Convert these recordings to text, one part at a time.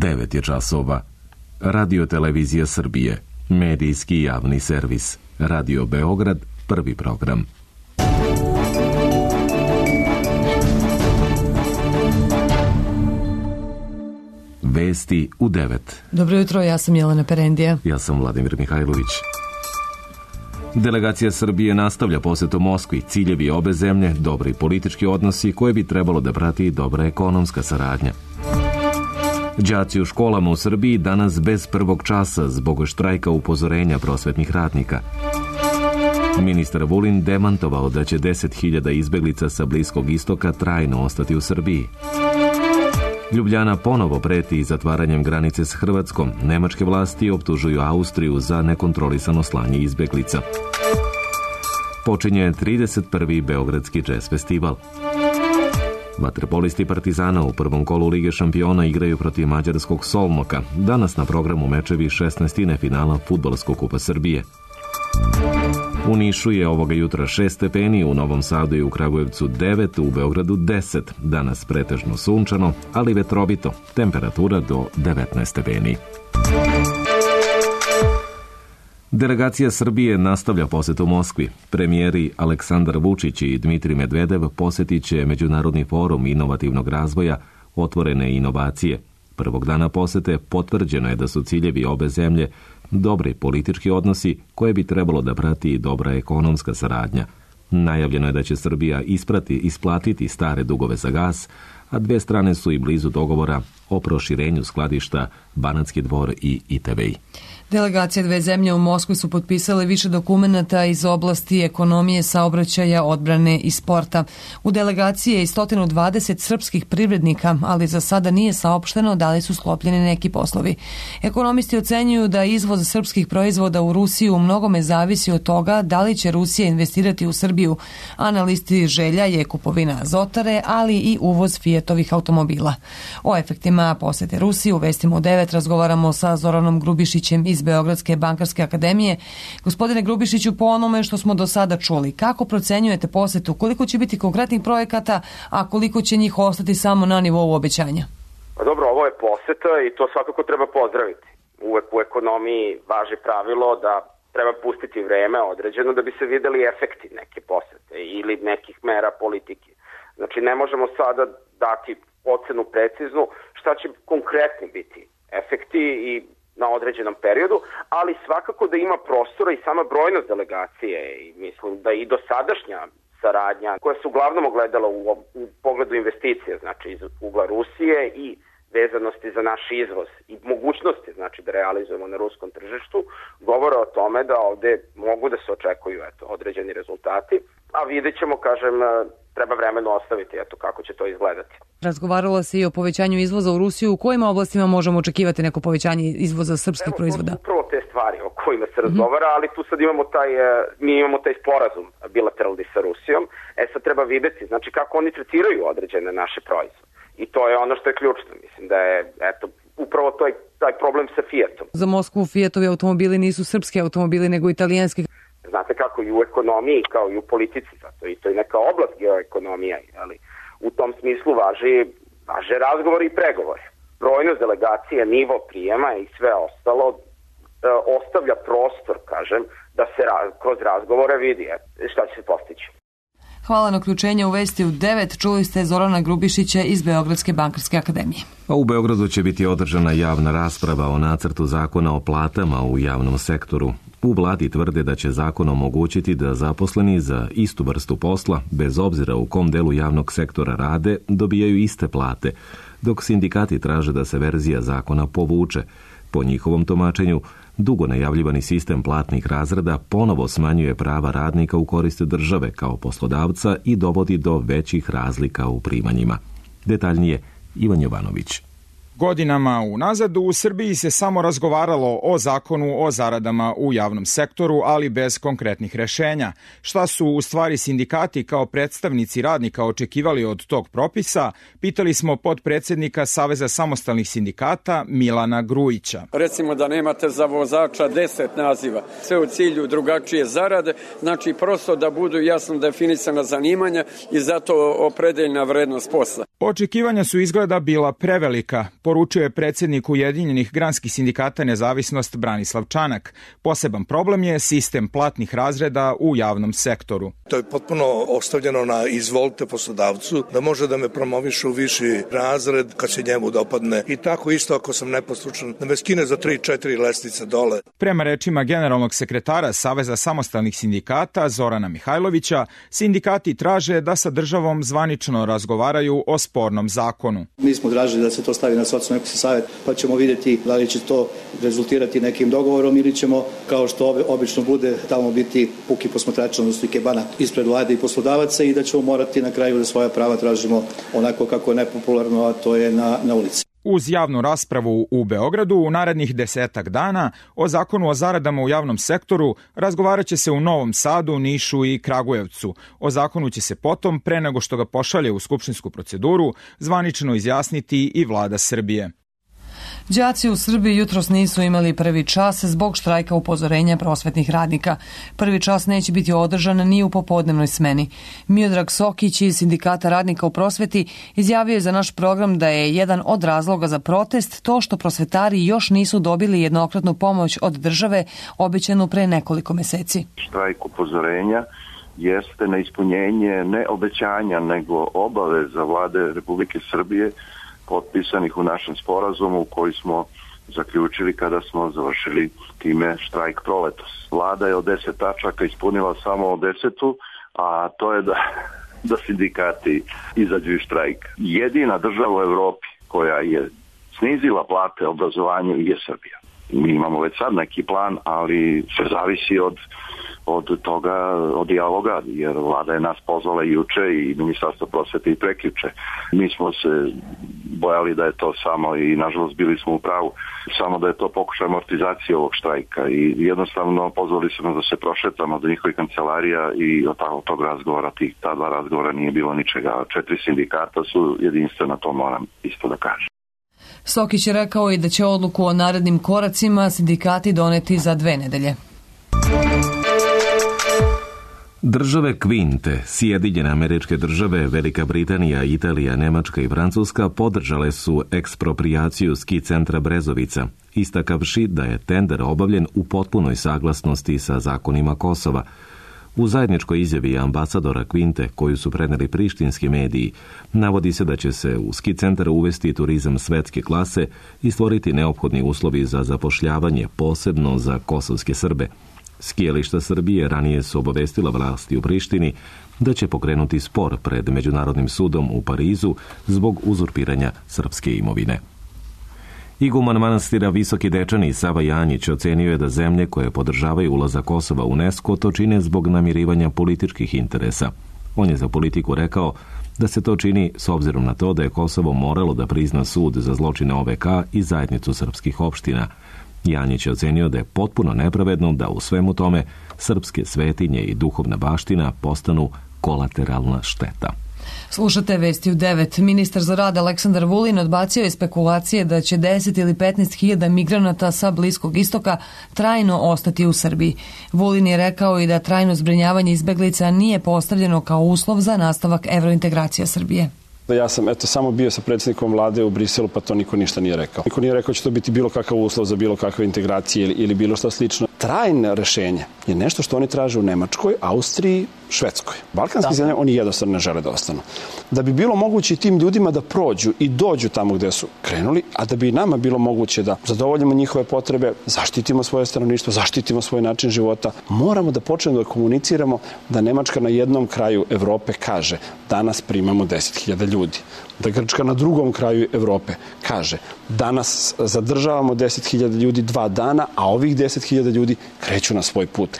9 je časova. Radio Televizija Srbije, medijski javni servis. Radio Beograd, prvi program. Vesti u 9. Dobro jutro, ja sam Jelena Perendija. Ja sam Vladimir Mihajlović. Delegacija Srbije nastavlja posetu Moskvi. Ciljevi obe zemlje, dobri politički odnosi koje bi trebalo da prati i dobra ekonomska saradnja. Đaci u školama u Srbiji danas bez prvog časa zbog štrajka upozorenja prosvetnih radnika. Ministar Vulin demantovao da će 10.000 izbeglica sa Bliskog istoka trajno ostati u Srbiji. Ljubljana ponovo preti zatvaranjem granice s Hrvatskom. Nemačke vlasti optužuju Austriju za nekontrolisano slanje izbeglica. Počinje 31. Beogradski džez festival. Vaterpolisti Partizana u prvom kolu Lige šampiona igraju protiv mađarskog Solnoka. Danas na programu mečevi 16. finala Fudbalskog kupa Srbije. U Nišu je ovoga jutra 6 stepeni, u Novom Sadu i u Kragujevcu 9, u Beogradu 10. Danas pretežno sunčano, ali vetrovito. Temperatura do 19 stepeni. Delegacija Srbije nastavlja posetu Moskvi. Premijeri Aleksandar Vučić i Dmitrij Medvedev posetit će Međunarodni forum inovativnog razvoja Otvorene inovacije. Prvog dana posete potvrđeno je da su ciljevi obe zemlje dobri politički odnosi koje bi trebalo da prati i dobra ekonomska saradnja. Najavljeno je da će Srbija isplatiti stare dugove za gas, a dve strane su i blizu dogovora o proširenju skladišta Banatski Dvor i ITV. Delegacije dve zemlje u Moskvi su potpisale više dokumenata iz oblasti ekonomije, saobraćaja, odbrane i sporta. U delegaciji je i 120 srpskih privrednika, ali za sada nije saopšteno da li su sklopljeni neki poslovi. Ekonomisti ocenjuju da izvoz srpskih proizvoda u Rusiju u mnogome zavisi od toga da li će Rusija investirati u Srbiju. A na listi želja je kupovina Azotare, ali i uvoz Fiatovih automobila. O efektima posete Rusiji u Vestima u 9 razgovaramo sa Zoranom Grubišićem iz Beogradske bankarske akademije. Gospodine Grubišiću, po onome što smo do sada čuli, kako procenjujete posetu, koliko će biti konkretnih projekata, a koliko će njih ostati samo na nivou obećanja? Dobro, ovo je poseta i to svakako treba pozdraviti. Uvek u ekonomiji važi pravilo da treba pustiti vreme određeno da bi se videli efekti neke posete ili nekih mera politike. Znači, ne možemo sada dati ocenu preciznu šta će konkretni biti efekti i na određenom periodu, ali svakako da ima prostora i sama brojnost delegacije i mislim da i dosadašnja saradnja koja se uglavnom ogledala u pogledu investicije, znači iz ugla Rusije i vezanosti za naš izvoz i mogućnosti, znači da realizujemo na ruskom tržištu, govore o tome da ovde mogu da se očekuju određeni rezultati, a vidjet ćemo, kažem, treba vremeno ostaviti kako će to izgledati. Razgovaralo se i o povećanju izvoza u Rusiju. U kojim oblastima možemo očekivati neko povećanje izvoza srpskih proizvoda? Upravo te stvari o kojima se razgovara, ali tu sad imamo taj sporazum bilateralni sa Rusijom. Sad treba videti, znači kako oni tretiraju određene naše proizvode. I to je ono što je ključno. Mislim da je, upravo taj problem sa Fiatom. Za Moskvu Fiatovi automobili nisu srpski automobili, nego italijanski. Znate kako i u ekonomiji, kao i u politici, zato i to je neka oblast geoekonomija, ali u tom smislu važe razgovori i pregovori. Brojnost delegacije, nivo prijema i sve ostalo ostavlja prostor, kažem, da se kroz razgovore vidi šta će se postići. Hvala na uključenje u Vesti u 9. Čuli ste Zorana Grubišića iz Beogradske bankarske akademije. A u Beogradu će biti održana javna rasprava o nacrtu zakona o platama u javnom sektoru. U vladi tvrde da će zakon omogućiti da zaposleni za istu vrstu posla, bez obzira u kom delu javnog sektora rade, dobijaju iste plate, dok sindikati traže da se verzija zakona povuče. Po njihovom tumačenju, dugo najavljivani sistem platnih razreda ponovo smanjuje prava radnika u korist države kao poslodavca i dovodi do većih razlika u primanjima. Detaljnije, Ivan Jovanović. Godinama unazad u Srbiji se samo razgovaralo o zakonu o zaradama u javnom sektoru, ali bez konkretnih rešenja. Šta su u stvari sindikati kao predstavnici radnika očekivali od tog propisa, pitali smo potpredsednika Saveza samostalnih sindikata Milana Grujića. Recimo da nemate za vozača 10 naziva, sve u cilju drugačije zarade, znači prosto da budu jasno definisana zanimanja i zato opredeljena vrednost posla. Očekivanja su izgleda bila prevelika. poručio je predsjednik Ujedinjenih granskih sindikata Nezavisnost Branislav Čanak. Poseban problem je sistem platnih razreda u javnom sektoru. To je potpuno ostavljeno na izvolite poslodavcu da može da me promoviše u viši razred kad se njemu dopadne. I tako isto ako sam neposlušan da me skine za 3-4 lestvice dole. Prema rečima generalnog sekretara Saveza samostalnih sindikata Zorana Mihajlovića, sindikati traže da sa državom zvanično razgovaraju o spornom zakonu. Mi smo tražili da se to stavi na socijalno-ekonomski savjet, pa ćemo vidjeti da li će to rezultirati nekim dogovorom ili ćemo, kao što obično bude, tamo biti puki posmatrač, odnosno ikebana ispred vlade i poslodavaca i da ćemo morati na kraju da svoja prava tražimo onako kako je nepopularno, a to je na ulici. Uz javnu raspravu u Beogradu u narednih 10 dana o zakonu o zaradama u javnom sektoru razgovarat će se u Novom Sadu, Nišu i Kragujevcu. O zakonu će se potom, pre nego što ga pošalje u skupštinsku proceduru, zvanično izjasniti i vlada Srbije. Đaci u Srbiji jutros nisu imali prvi čas zbog štrajka upozorenja prosvetnih radnika. Prvi čas neće biti održan ni u popodnevnoj smeni. Miodrag Sokić iz Sindikata radnika u prosveti izjavio je za naš program da je jedan od razloga za protest to što prosvetari još nisu dobili jednokratnu pomoć od države obećanu pre nekoliko meseci. Štrajk upozorenja jeste na ispunjenje ne obećanja nego obaveza vlade Republike Srbije potpisanih u našem sporazumu koji smo zaključili kada smo završili time štrajk proletos. Vlada je od 10 tačaka ispunila samo 10, a to je da sindikati izađu iz štrajka. Jedina država u Evropi koja je snizila plate obrazovanju je Srbija. Mi imamo već sad neki plan, ali sve zavisi od toga, od dijaloga, jer vlada je nas pozvala juče i Ministarstvo prosvete i prekjuče. Mi smo se bojali da je to samo, i nažalost bili smo u pravu, samo da je to pokušaj amortizacije ovog štrajka i jednostavno pozvali su nas da se prošetamo do njihovih kancelarija i od tog razgovora, ta 2 razgovora nije bilo ničega. 4 sindikata su jedinstvena, to moram isto da kažem. Sokić je rekao i da će odluku o narednim koracima sindikati doneti za 2 nedelje. Države Kvinte, Sjedinjene Američke Države, Velika Britanija, Italija, Nemačka i Francuska podržale su eksproprijaciju ski centra Brezovica, istakavši da je tender obavljen u potpunoj saglasnosti sa zakonima Kosova. U zajedničkoj izjavi ambasadora Kvinte, koju su preneli prištinski mediji, navodi se da će se u ski centar uvesti turizam svetske klase i stvoriti neophodni uslovi za zapošljavanje, posebno za kosovske Srbe. Skijališta Srbije ranije su obavestila vlasti u Prištini da će pokrenuti spor pred Međunarodnim sudom u Parizu zbog uzurpiranja srpske imovine. Iguman manastira Visoki Dečani Sava Janjić ocenio je da zemlje koje podržavaju ulazak Kosova u UNESCO to čine zbog namirivanja političkih interesa. On je za Politiku rekao da se to čini s obzirom na to da je Kosovo moralo da prizna sud za zločine OVK i zajednicu srpskih opština. Janjić je ocenio da je potpuno nepravedno da u svemu tome srpske svetinje i duhovna baština postanu kolateralna šteta. Slušate Vesti u 9. Ministar za rad Aleksandar Vulin odbacio je spekulacije da će 10 ili 15 hiljada migranata sa Bliskog istoka trajno ostati u Srbiji. Vulin je rekao i da trajno zbrinjavanje izbeglica nije postavljeno kao uslov za nastavak evrointegracija Srbije. Ja sam samo bio sa predsjednikom vlade u Briselu, pa to niko ništa nije rekao. Niko nije rekao će to biti bilo kakav uslov za bilo kakve integracije ili bilo što slično. Trajno rešenje je nešto što oni traže u Nemačkoj, Austriji, Švedskoj. Balkanski zemlje oni jednostavno ne žele da ostanu. Da bi bilo moguće tim ljudima da prođu i dođu tamo gde su krenuli, a da bi nama bilo moguće da zadovoljimo njihove potrebe, zaštitimo svoje stanovništvo, zaštitimo svoj način života, moramo da počnemo da komuniciramo da Nemačka na jednom kraju Evrope kaže danas primamo 10.000 ljudi. Da Grčka na drugom kraju Evrope kaže danas zadržavamo 10.000 ljudi 2 dana, a ovih 10.000 ljudi kreću na svoj put.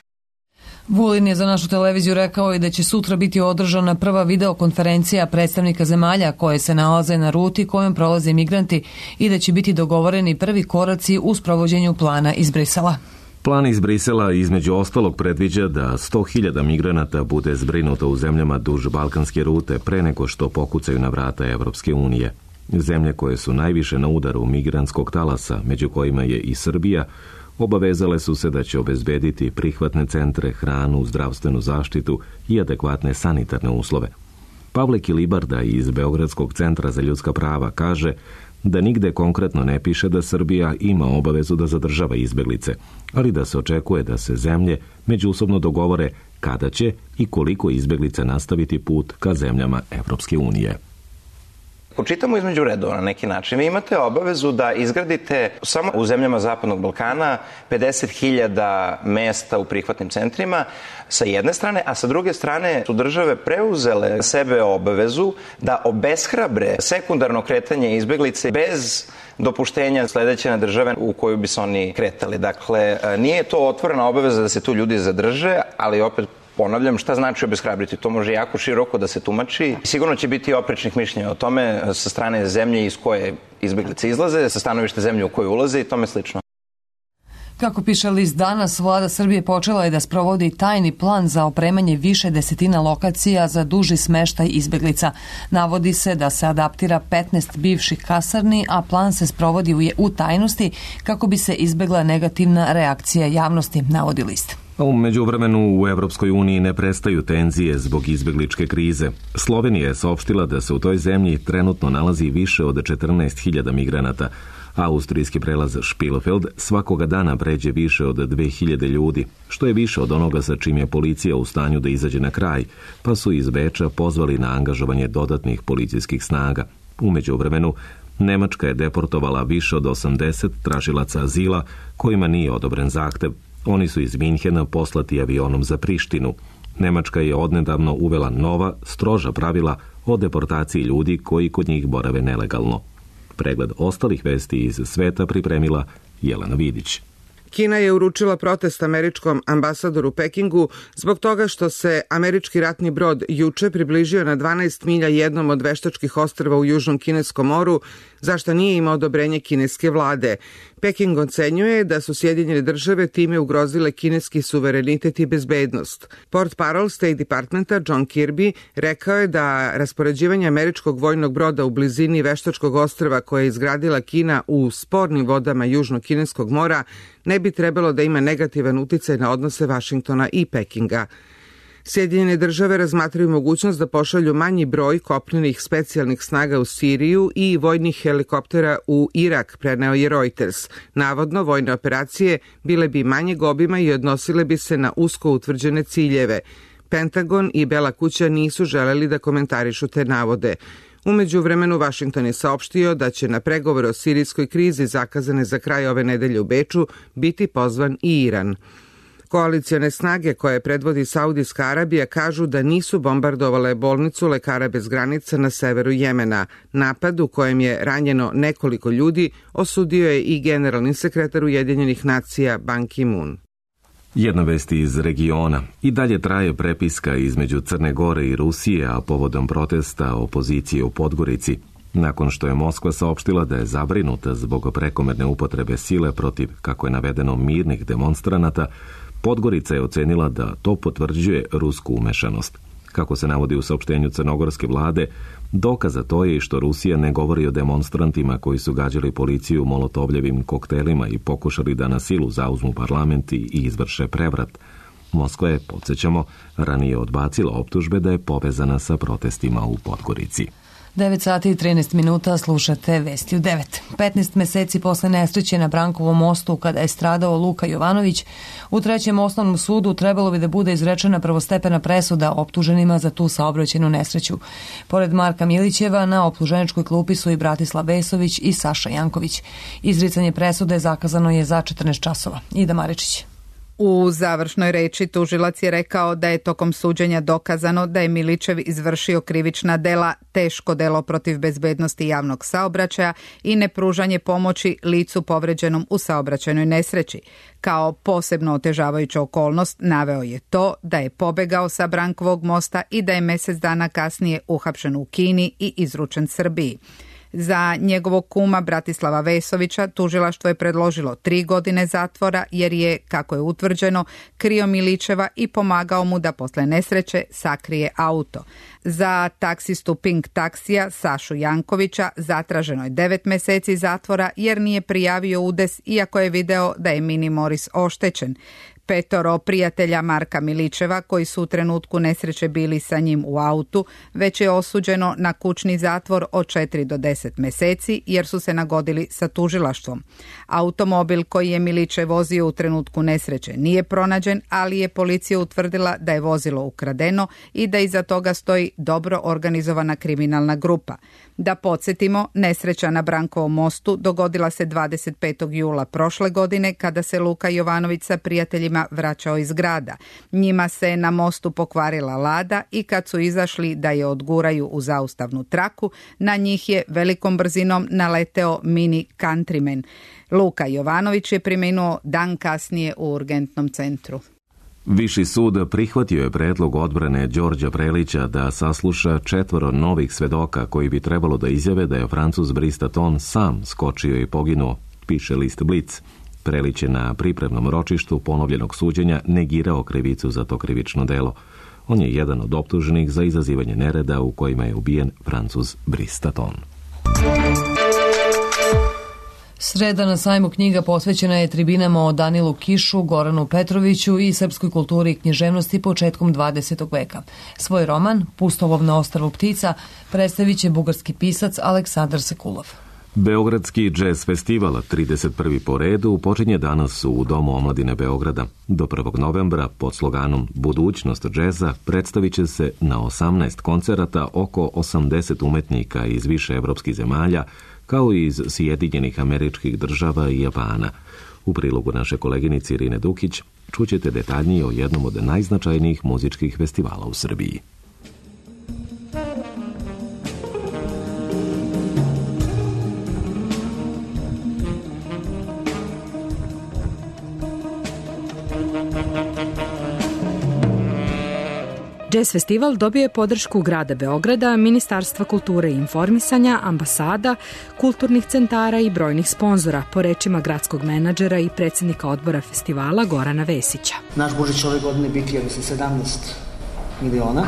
Vulin je za našu televiziju rekao i da će sutra biti održana prva videokonferencija predstavnika zemalja koje se nalaze na ruti kojom prolaze migranti i da će biti dogovoreni prvi koraci u sprovođenju plana iz Brisela. Plan iz Brisela između ostalog predviđa da 100.000 migranata bude zbrinuto u zemljama duž balkanske rute pre nego što pokucaju na vrata Evropske unije. Zemlje koje su najviše na udaru migrantskog talasa, među kojima je i Srbija, obavezale su se da će obezbediti prihvatne centre, hranu, zdravstvenu zaštitu i adekvatne sanitarne uslove. Pavle Kilibarda iz Beogradskog centra za ljudska prava kaže da nigde konkretno ne piše da Srbija ima obavezu da zadržava izbeglice, ali da se očekuje da se zemlje međusobno dogovore kada će i koliko izbeglica nastaviti put ka zemljama Evropske unije. Počitamo između redova na neki način. Vi imate obavezu da izgradite samo u zemljama Zapadnog Balkana 50.000 mesta u prihvatnim centrima sa jedne strane, a sa druge strane su države preuzele sebe obavezu da obeshrabre sekundarno kretanje izbeglice bez dopuštenja sledeće na države u koju bi se oni kretali. Dakle, nije to otvorena obaveza da se tu ljudi zadrže, ali opet ponavljam, šta znači obeshrabriti? To može jako široko da se tumači. Sigurno će biti oprečnih mišljenja o tome sa strane zemlje iz koje izbeglice izlaze, sa stanovište zemlje u koju ulaze i tome slično. Kako piše list Danas, vlada Srbije počela je da sprovodi tajni plan za opremanje više desetina lokacija za duži smeštaj izbeglica. Navodi se da se adaptira 15 bivših kasarni, a plan se sprovodi u tajnosti kako bi se izbegla negativna reakcija javnosti, navodi list. U međuvremenu u Evropskoj uniji ne prestaju tenzije zbog izbegličke krize. Slovenija je saopštila da se u toj zemlji trenutno nalazi više od 14.000 migranata. Austrijski prelaz Spielfeld svakoga dana pređe više od 2.000 ljudi, što je više od onoga sa čim je policija u stanju da izađe na kraj, pa su iz Beča pozvali na angažovanje dodatnih policijskih snaga. U međuvremenu, Nemačka je deportovala više od 80 tražilaca azila kojima nije odobren zahtev. Oni su iz Minhena poslati avionom za Prištinu. Nemačka je odnedavno uvela nova, stroža pravila o deportaciji ljudi koji kod njih borave nelegalno. Pregled ostalih vesti iz sveta pripremila Jelena Vidić. Kina je uručila protest američkom ambasadoru u Pekingu zbog toga što se američki ratni brod juče približio na 12 milja jednom od veštačkih ostrva u Južnom Kineskom moru, zašto nije imao odobrenje kineske vlade. Peking ocenjuje da su Sjedinjene države time ugrozile kineski suverenitet i bezbednost. Portparol State Departmenta John Kirby rekao je da raspoređivanje američkog vojnog broda u blizini veštačkog ostrva koje je izgradila Kina u spornim vodama Južnog Kineskog mora ne bi trebalo da ima negativan uticaj na odnose Vašingtona i Pekinga. Sjedinjene države razmatraju mogućnost da pošalju manji broj kopnenih specijalnih snaga u Siriju i vojnih helikoptera u Irak, preneo je Reuters. Navodno, vojne operacije bile bi manjeg obima i odnosile bi se na usko utvrđene ciljeve. Pentagon i Bela kuća nisu želeli da komentarišu te navode. U međuvremenu Vašington je saopštio da će na pregovore o sirijskoj krizi zakazane za kraj ove nedelje u Beču biti pozvan i Iran. Koalicione snage koje predvodi Saudijska Arabija kažu da nisu bombardovale bolnicu Lekara bez granica na severu Jemena. Napad u kojem je ranjeno nekoliko ljudi osudio je i generalni sekretar Ujedinjenih nacija Ban Ki-moon. Jedna vest iz regiona. I dalje traje prepiska između Crne Gore i Rusije, a povodom protesta opozicije u Podgorici. Nakon što je Moskva saopštila da je zabrinuta zbog prekomerne upotrebe sile protiv, kako je navedeno, mirnih demonstranata, Podgorica je ocenila da to potvrđuje rusku umešanost. Kako se navodi u saopštenju crnogorske vlade, dokaz za to je i što Rusija ne govori o demonstrantima koji su gađali policiju molotovljevim koktelima i pokušali da na silu zauzmu parlament i izvrše prevrat. Moskva je, podsjećamo, ranije odbacila optužbe da je povezana sa protestima u Podgorici. 9 sati i 13 minuta, slušate Vesti u 9. 15 meseci posle nesreće na Brankovom mostu kada je stradao Luka Jovanović, u Trećem osnovnom sudu trebalo bi da bude izrečena prvostepena presuda optuženima za tu saobraćajnu nesreću. Pored Marka Milićeva, na optuženičkoj klupi su i Bratislav Vesović i Saša Janković. Izricanje presude zakazano je za 14 časova. Ida Maričić. U završnoj reči tužilac je rekao da je tokom suđenja dokazano da je Milićev izvršio krivična dela, teško delo protiv bezbednosti javnog saobraćaja i nepružanje pomoći licu povređenom u saobraćajnoj nesreći. Kao posebno otežavajuća okolnost naveo je to da je pobegao sa Brankovog mosta i da je mesec dana kasnije uhapšen u Kini i izručen Srbiji. Za njegovog kuma Bratislava Vesovića tužilaštvo je predložilo 3 godine zatvora jer je, kako je utvrđeno, krio Milićeva i pomagao mu da posle nesreće sakrije auto. Za taksistu Pink taksija Sašu Jankovića zatraženo je 9 meseci zatvora jer nije prijavio udes iako je video da je Mini Moris oštećen. 5 prijatelja Marka Miličeva koji su u trenutku nesreće bili sa njim u autu, već je osuđeno na kućni zatvor od 4 do 10 meseci jer su se nagodili sa tužilaštvom. Automobil koji je Miličev vozio u trenutku nesreće nije pronađen, ali je policija utvrdila da je vozilo ukradeno i da iza toga stoji dobro organizovana kriminalna grupa. Da podsjetimo, nesreća na Brankovom mostu dogodila se 25. jula prošle godine kada se Luka Jovanović sa prijateljima vraćao iz grada. Njima se na mostu pokvarila lada i kad su izašli da je odguraju u zaustavnu traku, na njih je velikom brzinom naleteo mini Countryman. Luka Jovanović je preminuo dan kasnije u urgentnom centru. Viši sud prihvatio je predlog odbrane Đorđa Prelića da sasluša 4 novih svedoka koji bi trebalo da izjave da je Francuz Brice Tatton sam skočio i poginuo, piše list Blic. Prelić je na pripremnom ročištu ponovljenog suđenja negirao krivicu za to krivično delo. On je jedan od optuženih za izazivanje nereda u kojima je ubijen Francuz Brice Tatton. Sreda na sajmu knjiga posvećena je tribinama o Danilu Kišu, Goranu Petroviću i srpskoj kulturi i književnosti početkom 20. veka. Svoj roman, Pustovolov na ostrvu ptica, predstavit će bugarski pisac Aleksandar Sekulov. Beogradski džez festival, 31. po redu, počinje danas u Domu omladine Beograda. Do 1. novembra, pod sloganom Budućnost džeza, predstavit će se na 18 koncerata oko 80 umetnika iz više evropskih zemalja, kao i iz Sjedinjenih Američkih Država i Japana. U prilogu naše koleginice Irine Dukić čućete detaljnije o jednom od najznačajnijih muzičkih festivala u Srbiji. Jazz festival dobio je podršku grada Beograda, Ministarstva kulture i informisanja, ambasada, kulturnih centara i brojnih sponzora, po rečima gradskog menadžera i predsjednika odbora festivala Gorana Vesića. Naš budžet će ove godine biti 17 miliona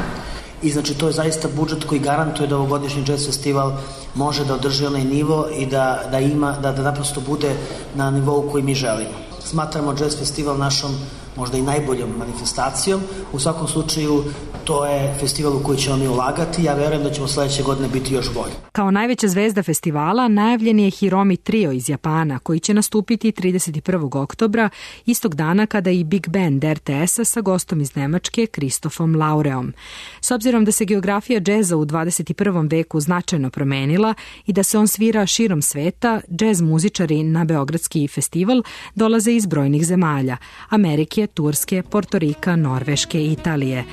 i znači to je zaista budžet koji garantuje da ovogodišnji jazz festival može da održi onaj nivo i da naprosto bude na nivou koji mi želimo. Smatramo jazz festival našom možda i najboljom manifestacijom. U svakom slučaju to je festival u koji ćemo mi ulagati. Ja verujem da ćemo sledeće godine biti još bolji. Kao najveća zvezda festivala najavljen je Hiromi Trio iz Japana, koji će nastupiti 31. oktobra, istog dana kada i Big Band RTS-a sa gostom iz Nemačke, Kristofom Laureom. S obzirom da se geografija džeza u 21. veku značajno promenila i da se on svira širom sveta, džez muzičari na Beogradski festival dolaze iz brojnih zemalja, Amerike, Turske, Portorika, Norveške i Italije.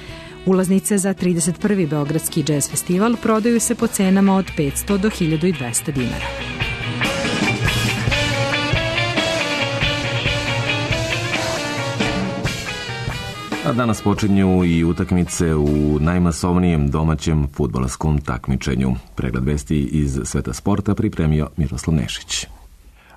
Ulaznice za 31. Beogradski džez festival prodaju se po cenama od 500 do 1200 dinara. A danas počinju i utakmice u najmasovnijem domaćem fudbalskom takmičenju. Pregled vesti iz sveta sporta pripremio Miroslav Nešić.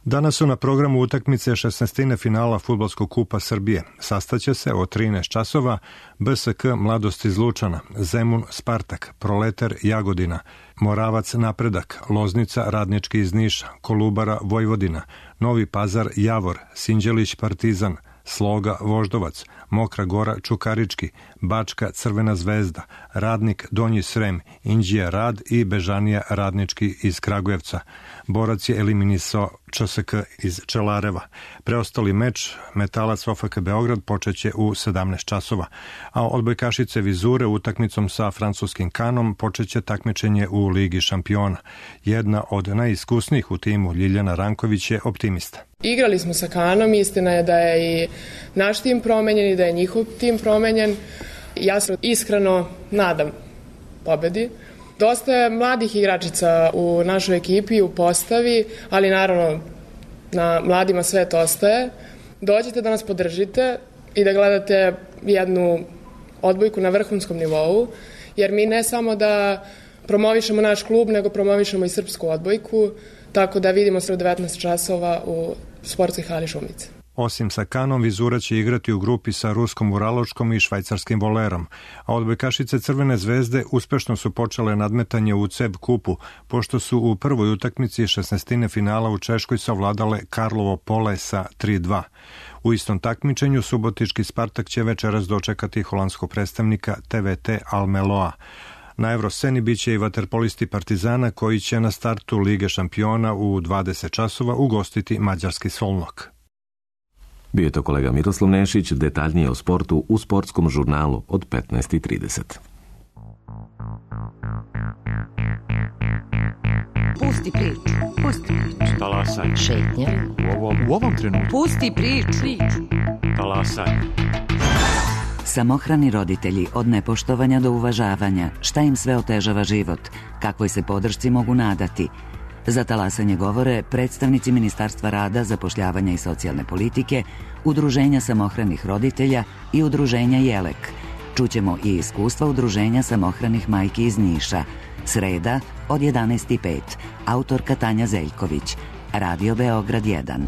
Danas su na programu utakmice 16. finala Fudbalskog kupa Srbije. Sastaće se o 13 časova BSK Mladost iz Lučana, Zemun Spartak, Proletar Jagodina, Moravac Napredak, Loznica Radnički iz Niša, Kolubara Vojvodina, Novi Pazar Javor, Sinđelić Partizan, Sloga Voždovac, Mokra Gora Čukarički, Bačka Crvena zvezda, Radnik Donji Srem, Inđija Rad i Bežanija Radnički iz Kragujevca. Borac je eliminisao ČSK iz Čelareva. Preostali meč Metalac OFK Beograd počeće u 17 časova, a odbojkašice Vizure utakmicom sa francuskim Kanom počeće takmičenje u Ligi šampiona. Jedna od najiskusnijih u timu Ljiljana Ranković je optimista. Igrali smo sa Kanom, istina je da je i naš tim promenjen i da je njihov tim promenjen. Ja se iskreno nadam pobedi. Dosta je mladih igračica u našoj ekipi, u postavi, ali naravno na mladima sve to ostaje. Dođite da nas podržite i da gledate jednu odbojku na vrhunskom nivou, jer mi ne samo da promovišemo naš klub, nego promovišemo i srpsku odbojku, tako da vidimo se u 19 časova u sportskoj hali Šumice. Osim sa Kanom, Vizura će igrati u grupi sa ruskom Uraločkom i švajcarskim Volerom, a odbojkašice Crvene zvezde uspešno su počele nadmetanje u CEB kupu, pošto su u prvoj utakmici 16. finala u Češkoj savladale Karlovo Pole sa 3:2. U istom takmičenju subotički Spartak će večeras dočekati holandskog predstavnika TVT Almeloa. Na Evrosceni biće i vaterpolisti Partizana koji će na startu Lige šampiona u 20 časova ugostiti mađarski Solnok. Bio je to kolega Miroslav Nešić, detaljnije o sportu u sportskom žurnalu od 15:30. Pusti priču, pusti priču. Talasaj. Šetnja. U ovom trenutku. Pusti priču. Talasaj. Samohrani roditelji, od nepoštovanja do uvažavanja, šta im sve otežava život, kakvoj se podršci mogu nadati. Za talasanje govore predstavnici Ministarstva rada, zapošljavanja i socijalne politike, Udruženja samohranih roditelja i Udruženja Jelek. Čućemo i iskustva Udruženja samohranih majki iz Niša. Sreda od 11:05. Autorka Tanja Zeljković. Radio Beograd 1.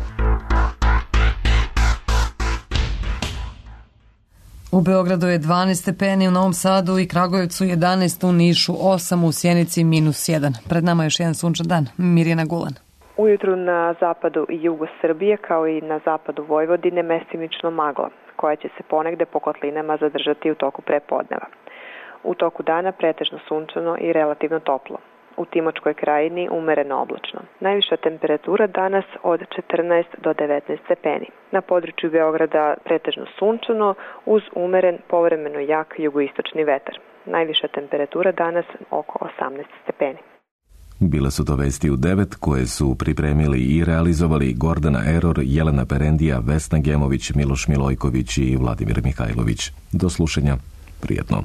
U Beogradu je 12 stepeni, u Novom Sadu i Kragujevcu 11, u Nišu 8, u Sjenici -1. Pred nama je još jedan sunčan dan. Mirjana Gulan. Ujutru na zapadu i jugu Srbije, kao i na zapadu Vojvodine, mestimično magla, koja će se ponegde po kotlinama zadržati u toku prepodneva. U toku dana pretežno sunčano i relativno toplo. U Timočkoj krajini umereno oblačno. Najviša temperatura danas od 14 do 19 stepeni. Na području Beograda pretežno sunčano uz umeren, povremeno jak jugoistočni vetar. Najviša temperatura danas oko 18 stepeni. Bile su to vesti u 9 koje su pripremili i realizovali Gordana Eror, Jelena Perendija, Vesna Gemović, Miloš Milojković i Vladimir Mihajlović. Do slušanja. Prijetno.